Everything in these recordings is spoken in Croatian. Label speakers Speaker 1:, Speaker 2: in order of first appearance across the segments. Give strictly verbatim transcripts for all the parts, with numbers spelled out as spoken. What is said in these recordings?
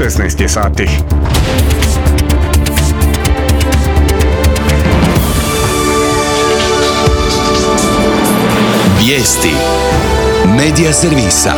Speaker 1: šesnaest je sati.
Speaker 2: Vijesti Medija servisa.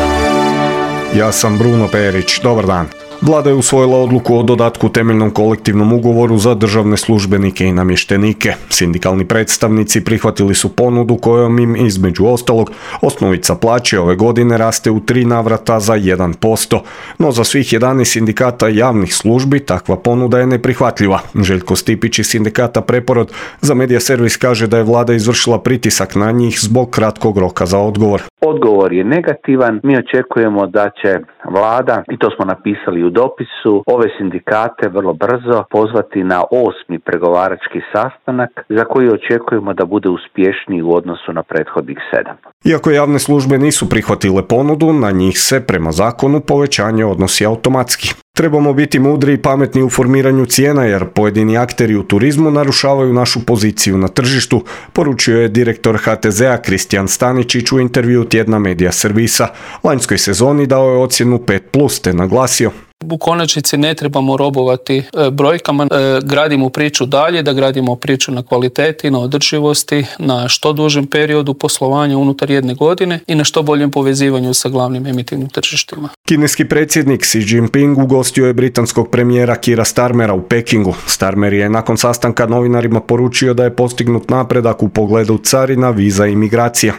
Speaker 1: Ja sam Bruno Perić, dobar dan. Vlada je usvojila odluku o dodatku temeljnom kolektivnom ugovoru za državne službenike i namještenike. Sindikalni predstavnici prihvatili su ponudu kojom im, između ostalog, osnovica plaće ove godine raste u tri navrata za jedan posto. No za svih jedanaest sindikata javnih službi takva ponuda je neprihvatljiva. Željko Stipić iz sindikata Preporod za Medija servis kaže da je vlada izvršila pritisak na njih zbog kratkog roka za odgovor.
Speaker 3: Odgovor je negativan. Mi očekujemo da će vlada, i to smo napisali u dopisu, ove sindikate vrlo brzo pozvati na osmi pregovarački sastanak za koji očekujemo da bude uspješniji u odnosu na prethodnih sedam.
Speaker 1: Iako javne službe nisu prihvatile ponudu, na njih se prema zakonu povećanje odnosi automatski. Trebamo biti mudri i pametni u formiranju cijena jer pojedini akteri u turizmu narušavaju našu poziciju na tržištu, poručio je direktor H T Z-a Kristijan Staničić u intervju tjedna Medija servisa. Lanjskoj sezoni dao je ocjenu pet plus te naglasio:
Speaker 4: u konačnici ne trebamo robovati brojkama, gradimo priču dalje, da gradimo priču na kvaliteti, na održivosti, na što dužem periodu poslovanja unutar jedne godine i na što boljem povezivanju sa glavnim emitivnim tržištima.
Speaker 1: Kineski predsjednik Xi Jinping ugostio je britanskog premijera Keira Starmera u Pekingu. Starmer je nakon sastanka novinarima poručio da je postignut napredak u pogledu carina, viza i migracija.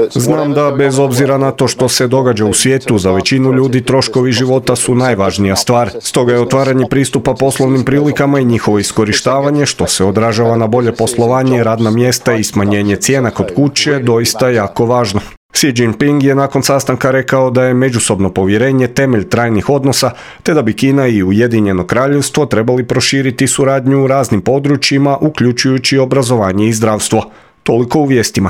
Speaker 1: Znam da bez obzira na to što se događa u svijetu, za većinu ljudi troškovi života su najvažnija stvar. Stoga je otvaranje pristupa poslovnim prilikama i njihovo iskorištavanje, što se odražava na bolje poslovanje, radna mjesta i smanjenje cijena kod kuće, doista jako važno. Xi Jinping je nakon sastanka rekao da je međusobno povjerenje temelj trajnih odnosa, te da bi Kina i Ujedinjeno Kraljevstvo trebali proširiti suradnju u raznim područjima, uključujući obrazovanje i zdravstvo. Toliko u vijestima.